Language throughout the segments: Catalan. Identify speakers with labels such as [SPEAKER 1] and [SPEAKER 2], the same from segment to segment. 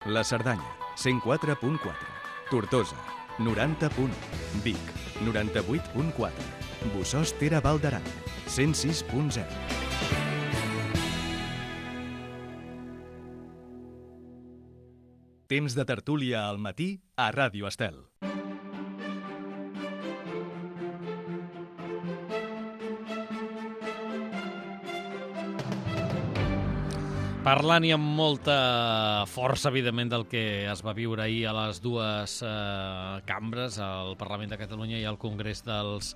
[SPEAKER 1] La Cerdanya, 104.4. Tortosa, 90.1. Vic, 98.4. Bossòst-Tere Val d'Aran, 106.0. Temps de tertúlia al matí a Ràdio Estel.
[SPEAKER 2] Parlant i amb molta força, evidentment, del que es va viure ahir a les dues cambres, al Parlament de Catalunya i al Congrés dels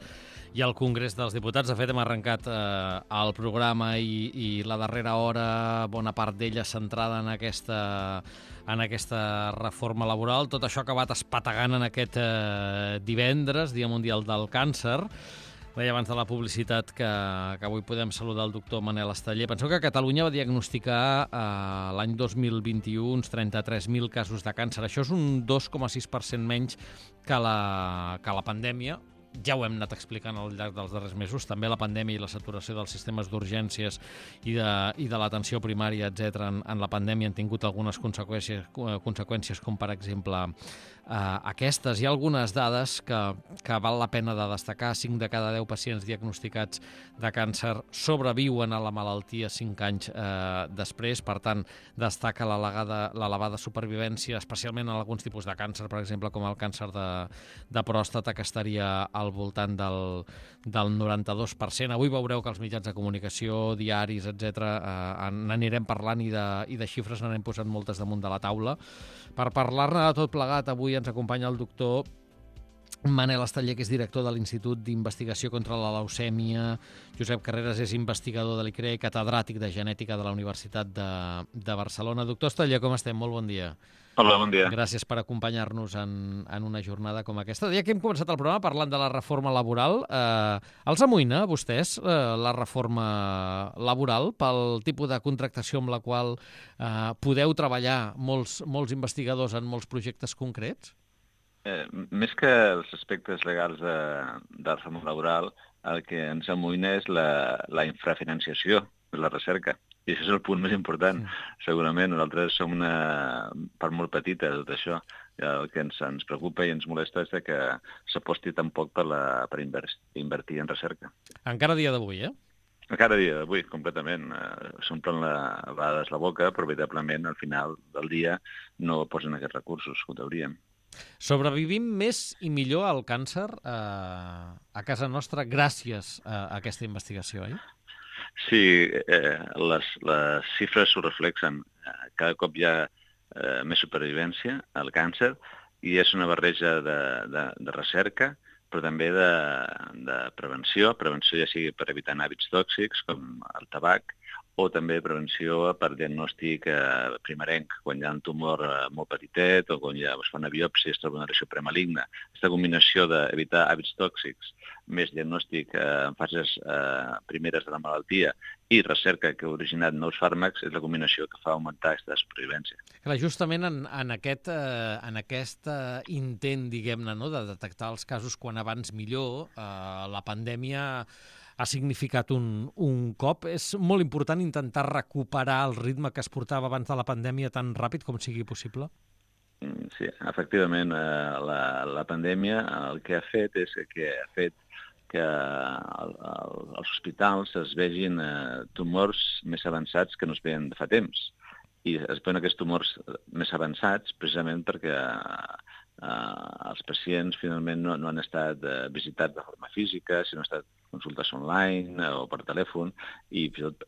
[SPEAKER 2] Diputats. De fet, hem arrencat el programa i la darrera hora, bona part d'ella centrada en aquesta reforma laboral. Tot això ha acabat espategant en aquest divendres, Dia Mundial del Càncer. Deia abans de la publicitat que avui podem saludar el doctor Manel Esteller. Penseu que Catalunya va diagnosticar l'any 2021 uns 33.000 casos de càncer. Això és un 2,6% menys que la pandèmia. Ja ho hem anat explicant al llarg dels darrers mesos. També la pandèmia i la saturació dels sistemes d'urgències i de l'atenció primària, etc. en la pandèmia han tingut algunes conseqüències com, per exemple, aquestes. Hi ha algunes dades que val la pena de destacar. 5 de cada 10 pacients diagnosticats de càncer sobreviuen a la malaltia 5 anys després. Per tant, destaca l'elevada supervivència, especialment en alguns tipus de càncer, per exemple, com el càncer de pròstata, que estaria al voltant del 92%. Avui veureu que els mitjans de comunicació, diaris, etc., n'anirem parlant i de xifres n'anem posant moltes damunt de la taula. Per parlar-ne de tot plegat, avui ens acompanya el doctor Manel Esteller, que és director de l'Institut d'Investigació contra la Leucèmia. Josep Carreras és investigador de l'ICRE, catedràtic de genètica de la Universitat de Barcelona. Doctor Esteller, com estem? Molt bon dia.
[SPEAKER 3] Hola, bon dia.
[SPEAKER 2] Gràcies per acompanyar-nos en una jornada com aquesta. Ja que hem començat el programa parlant de la reforma laboral, els amoïna a vostès la reforma laboral pel tipus de contractació amb la qual podeu treballar molts investigadors en molts projectes concrets?
[SPEAKER 3] Més que els aspectes legals de la reforma laboral, el que ens amoïna és la infrafinanciació de la recerca. I això és el punt més important, segurament. Nosaltres som una part molt petita de tot això. El que ens preocupa i ens molesta és que s'aposti tan poc per invertir en recerca.
[SPEAKER 2] Encara a dia d'avui, eh?
[SPEAKER 3] Encara a dia d'avui, completament. S'omplen a vegades la boca, però veritablement al final del dia no posen aquests recursos que ho deurien.
[SPEAKER 2] Sobrevivim més i millor al càncer a casa nostra gràcies a aquesta investigació, oi?
[SPEAKER 3] Sí, les xifres ho reflexen. Cada cop hi ha més supervivència al càncer i és una barreja de recerca, però també de prevenció. Prevenció ja sigui per evitar hàbits tòxics com el tabac, o també prevenció per diagnòstic primerenc, quan hi ha un tumor molt petitet o quan es fa una biòpsia i es troba una lesió premaligna. Aquesta combinació d'evitar hàbits tòxics més diagnòstic en fases primeres de la malaltia i recerca que ha originat nous fàrmacs és la combinació que fa augmentar aquesta supervivència.
[SPEAKER 2] Clar, justament en aquest intent, diguem-ne, no, de detectar els casos quan abans millor, la pandèmia ha significat un cop. És molt important intentar recuperar el ritme que es portava abans de la pandèmia tan ràpid com sigui possible?
[SPEAKER 3] Sí, efectivament. La pandèmia el que ha fet és que als hospitals es vegin tumors més avançats que no es veien de fa temps. I es veuen aquests tumors més avançats precisament perquè els pacients finalment no han estat visitats de forma física, sinó han estat consultes online o per telèfon, i fins i tot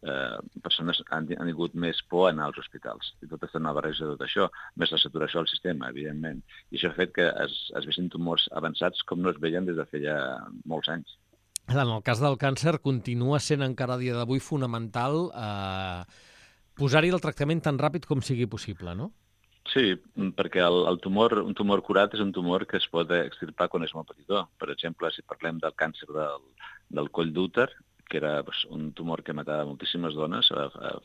[SPEAKER 3] persones han tingut més por a anar als hospitals. I tot és una barreja de tot això, més la saturació del sistema, evidentment. I això ha fet que es vegin tumors avançats com no es veien des de feia molts anys.
[SPEAKER 2] En el cas del càncer continua sent encara a dia d'avui fonamental posar-hi el tractament tan ràpid com sigui possible, no?
[SPEAKER 3] Sí, perquè un tumor curat és un tumor que es pot extirpar quan és molt petitó. Per exemple, si parlem del càncer del coll d'úter, que era un tumor que matava moltíssimes dones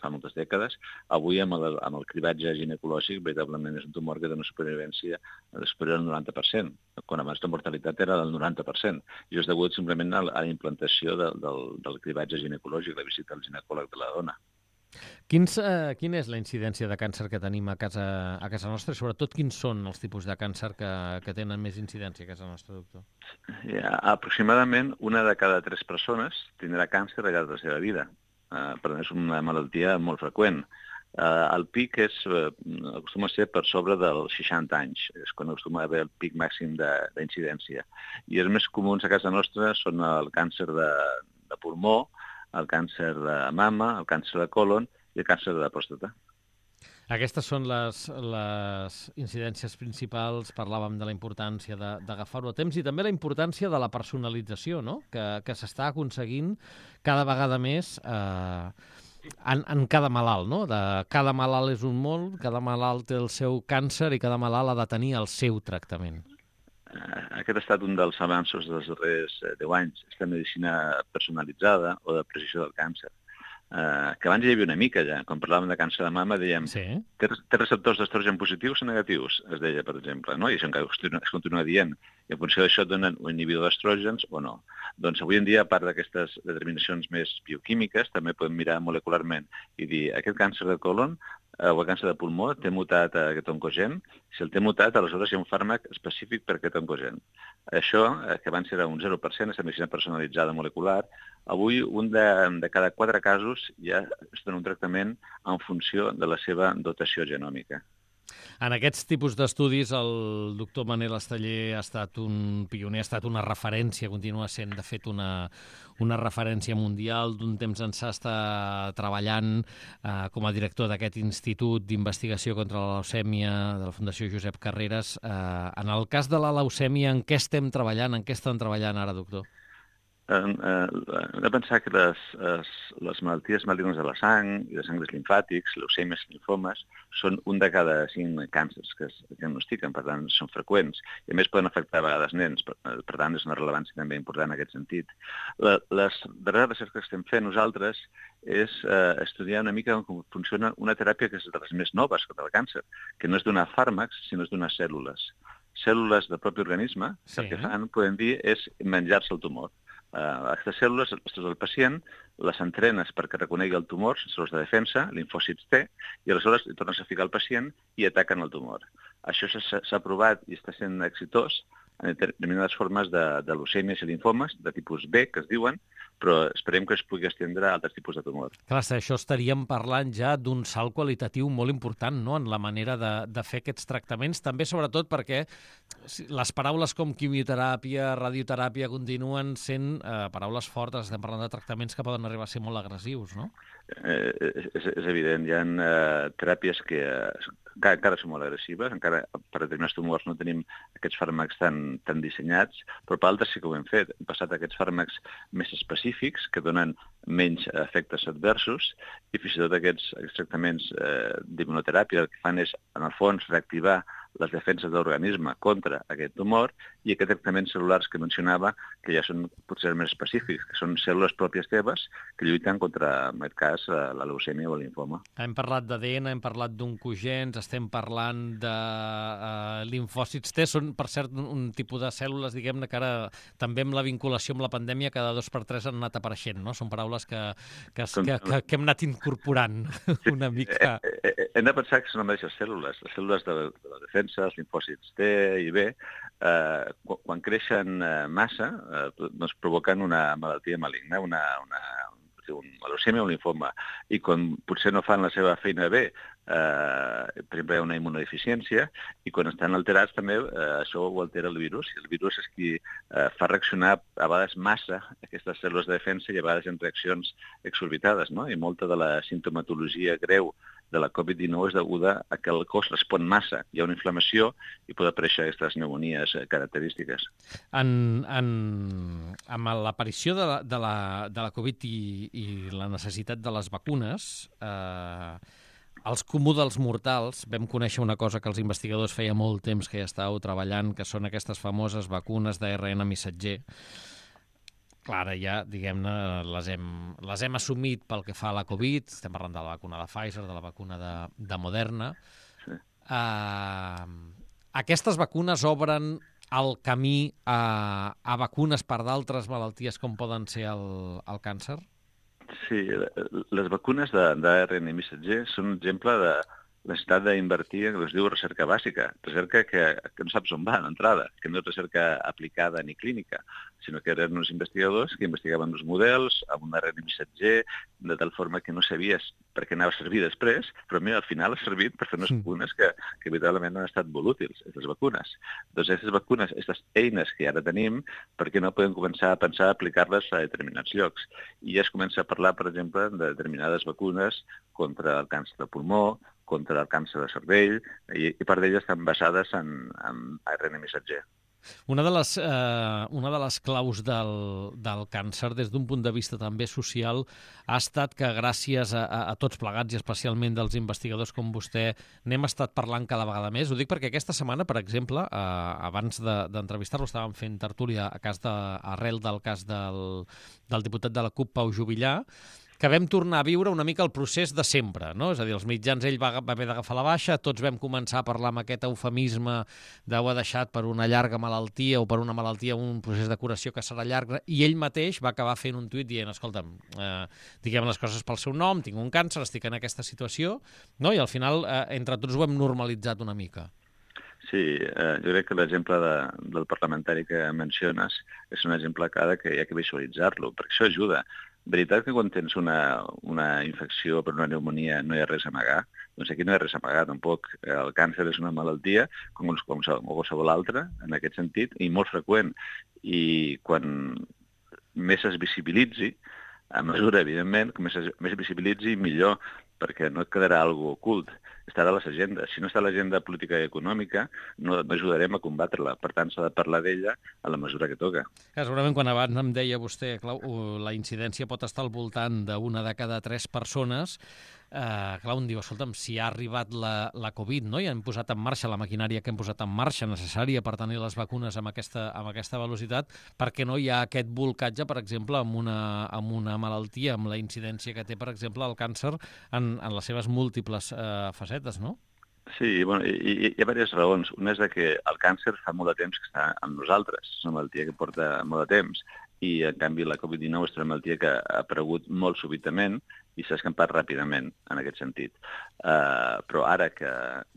[SPEAKER 3] fa moltes dècades, avui amb el cribatge ginecològic veritablement és un tumor que té una supervivència superior al 90%, quan abans la mortalitat era del 90%. I és degut simplement a la implantació del cribatge ginecològic, la visita al ginecòleg de la dona.
[SPEAKER 2] Quina és la incidència de càncer que tenim a casa nostra i sobretot quins són els tipus de càncer que tenen més incidència a casa nostra, doctor?
[SPEAKER 3] Aproximadament una de cada 3 persones tindrà càncer al llarg de la seva vida. Per tant, és una malaltia molt freqüent. El pic acostuma a ser per sobre dels 60 anys, és quan acostuma a haver el pic màxim d'incidència. I els més comuns a casa nostra són el càncer de pulmó, el càncer de mama, el càncer de còlon i el càncer de pròstata.
[SPEAKER 2] Aquestes són les incidències principals. Parlàvem de la importància d'agafar-ho a temps i també la importància de la personalització, no? Que s'està aconseguint cada vegada més en cada malalt, no? Cada malalt és un món, cada malalt té el seu càncer i cada malalt ha de tenir el seu tractament.
[SPEAKER 3] Aquest ha estat un dels avanços dels darrers 10 anys, aquesta medicina personalitzada o de precisió del càncer. Que abans hi havia una mica ja, quan parlàvem de càncer de mama dèiem té receptors d'estrogen positius o negatius, es deia, per exemple, no? I això encara es continua dient, i en funció d'això et donen un inhibidor d'estrògens o no. Doncs avui en dia, a part d'aquestes determinacions més bioquímiques, també podem mirar molecularment i dir, aquest càncer de còlon o el càncer de pulmó té mutat aquest oncogen. Si el té mutat, aleshores hi ha un fàrmac específic per aquest oncogen. Això, que abans era un 0%, aquesta medicina personalitzada molecular, avui un de cada 4 casos ja es dona un tractament en funció de la seva dotació genòmica.
[SPEAKER 2] En aquests tipus d'estudis el doctor Manel Esteller ha estat un pioner, ha estat una referència, continua sent, de fet, una referència mundial. D'un temps ençà està treballant com a director d'aquest Institut d'Investigació contra la Leucèmia de la Fundació Josep Carreras. En el cas de la leucèmia, en què estem treballant? En què estan treballant ara, doctor?
[SPEAKER 3] Hem de pensar que les malalties malignes de la sang i de sangres limfàtics, leucèmies, linfomes, són un de cada 5 càncers que es diagnostiquen, per tant, són freqüents. I a més poden afectar a vegades nens, per tant, és una rellevància també important en aquest sentit. Les darreres recerques que estem fent nosaltres és estudiar una mica com funciona una teràpia que és de les més noves contra el càncer, que no és donar fàrmacs, sinó és donar cèl·lules. Cèl·lules del propi organisme, que el que fan, podem dir, és menjar-se el tumor. Aquestes cèl·lules, les del pacient, les entrenes perquè reconegui el tumor, cèl·lules de defensa, linfòcits T, i aleshores hi tornes a ficar el pacient i ataquen el tumor. Això s'ha provat i està sent exitós en determinades formes de leucèmies i linfomes, de tipus B, que es diuen, però esperem que es pugui estendre a altres tipus de tumor.
[SPEAKER 2] Clar, això estaríem parlant ja d'un salt qualitatiu molt important, no?, en la manera de fer aquests tractaments, també sobretot perquè les paraules com quimioteràpia, radioteràpia continuen sent paraules fortes, estem parlant de tractaments que poden arribar a ser molt agressius, no?
[SPEAKER 3] És evident, hi ha teràpies que encara són molt agressives, encara per determinats tumors no tenim aquests fàrmacs tan dissenyats, però per altres sí que ho hem fet. Hem passat aquests fàrmacs més específics que donen menys efectes adversos i fins i tot aquests tractaments d'immunoteràpia el que fan és, en el fons, reactivar les defenses de l'organisme contra aquest tumor i aquests tractaments cel·lulars que mencionava que ja són potser més específics, que són cèl·lules pròpies teves que lluiten contra, en aquest cas, la leucèmia o el linfoma.
[SPEAKER 2] Hem parlat d'ADN, hem parlat d'oncogens, estem parlant de linfòcits T, són, per cert, un tipus de cèl·lules, diguem-ne, que ara també amb la vinculació amb la pandèmia cada 2 per 3 han anat apareixent, no? Són paraules que hem anat incorporant una mica.
[SPEAKER 3] Hem de pensar que són les mateixes cèl·lules, les cèl·lules de la defensa, els linfòcits T i B, quan creixen massa, doncs provoquen una malaltia maligna, una leucèmia o un linfoma. I quan potser no fan la seva feina bé, per exemple, hi ha una immunodeficiència, i quan estan alterats també això ho altera el virus. I el virus és qui fa reaccionar a vegades massa aquestes cèl·lules de defensa i a vegades en reaccions exorbitades, no? I molta de la sintomatologia greu de la Covid-19 és deguda a que el cos respon massa. Hi ha una inflamació i poden aparèixer aquestes pneumonies característiques.
[SPEAKER 2] Amb l'aparició de la Covid i la necessitat de les vacunes, els comú dels mortals vam conèixer una cosa que els investigadors feia molt temps que ja estàveu treballant, que són aquestes famoses vacunes d'ARN missatger. Clar, ja, diguem-ne, les hem assumit pel que fa a la Covid, estem parlant de la vacuna de Pfizer, de la vacuna de Moderna. Sí. Aquestes vacunes obren el camí a vacunes per d'altres malalties com poden ser el càncer?
[SPEAKER 3] Sí, les vacunes d'ARN missatger són un exemple de la necessitat d'invertir en el que es diu recerca bàsica, recerca que no saps on va d'entrada, que no és recerca aplicada ni clínica, sinó que eren uns investigadors que investigaven els models amb un ARN missatger, de tal forma que no sabies per què anava a servir després, però mira, al final ha servit per fer unes vacunes que veritablement han estat molt útils, aquestes vacunes. Doncs aquestes vacunes, aquestes eines que ara tenim, per què no podem començar a pensar a aplicar-les a determinats llocs? I ja es comença a parlar, per exemple, de determinades vacunes contra el càncer de pulmó, contra el càncer de cervell, i part d'elles estan basades en ARN missatger.
[SPEAKER 2] Una de les claus del càncer, des d'un punt de vista també social, ha estat que gràcies a tots plegats, i especialment dels investigadors com vostè, n'hem estat parlant cada vegada més. Ho dic perquè aquesta setmana, per exemple, abans d'entrevistar-lo, estàvem fent tertúlia arrel del cas del diputat de la CUP, Pau Juvillà, que vam tornar a viure una mica el procés de sempre, no? És a dir, els mitjans, ell va haver d'agafar la baixa, tots vam començar a parlar amb aquest eufemisme d'ho ha deixat per una llarga malaltia o per una malaltia, un procés de curació que serà llarg, i ell mateix va acabar fent un tuit dient, escolta'm, diguem les coses pel seu nom, tinc un càncer, estic en aquesta situació, no? I al final, entre tots ho hem normalitzat una mica.
[SPEAKER 3] Sí, jo crec que l'exemple del parlamentari que menciones és un exemple clar que hi ha que visualitzar-lo, perquè això ajuda. Veritat que quan tens una infecció per una pneumonia no hi ha res a amagar? Doncs aquí no hi ha res a amagar, tampoc. El càncer és una malaltia, com qualsevol altra, en aquest sentit, i molt freqüent. I quan més es visibilitzi, a mesura, evidentment, que més es visibilitzi, millor, perquè no et quedarà alguna cosa ocult. Estarà a les agendes. Si no està a l'agenda política i econòmica, no ajudarem a combatre-la. Per tant, s'ha de parlar d'ella a la mesura que toca.
[SPEAKER 2] Segurament, quan abans em deia vostè, Clau, la incidència pot estar al voltant d'una de cada 3 persones, clar, un diu, escolta'm, si ha arribat la Covid, no? I hem posat en marxa la maquinària que hem posat en marxa necessària per tenir les vacunes amb aquesta velocitat, perquè no hi ha aquest bolcatge, per exemple, amb una malaltia, amb la incidència que té, per exemple, el càncer en les seves múltiples facetes, no?
[SPEAKER 3] Sí, bueno, hi ha diverses raons. Una és que el càncer fa molt de temps que està amb nosaltres, és una malaltia que porta molt de temps, i en canvi la Covid-19 és una malaltia que ha aparegut molt súbitament i s'ha escampat ràpidament en aquest sentit. Però ara que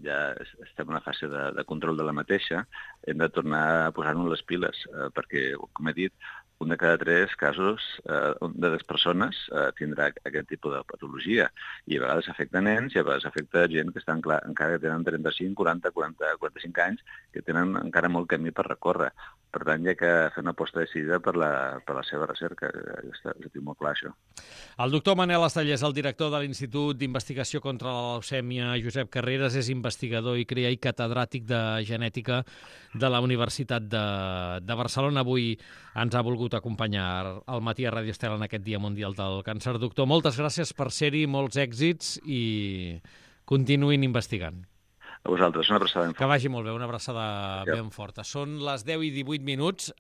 [SPEAKER 3] ja estem en una fase de control de la mateixa, hem de tornar a posar-nos les piles, perquè, com he dit, un de cada 3 casos de les persones tindrà aquest tipus de patologia. I a vegades afecta nens i a vegades afecta gent que estan encara que tenen 35, 40, 45 anys, que tenen encara molt camí per recórrer. Per tant, hi ha que fer una aposta decidida per la seva recerca. Està molt clar, això.
[SPEAKER 2] El doctor Manel Estellés, el director de l'Institut d'Investigació contra la Leucèmia Josep Carreras, és investigador i catedràtic de genètica de la Universitat de Barcelona. Avui ens ha volgut acompanyar al matí a Ràdio Estel en aquest Dia Mundial del Càncer. Doctor, moltes gràcies per ser-hi, molts èxits i continuïn investigant.
[SPEAKER 3] A vosaltres, una abraçada ben forta.
[SPEAKER 2] Que vagi molt bé, una abraçada ben forta. Són les 10:18.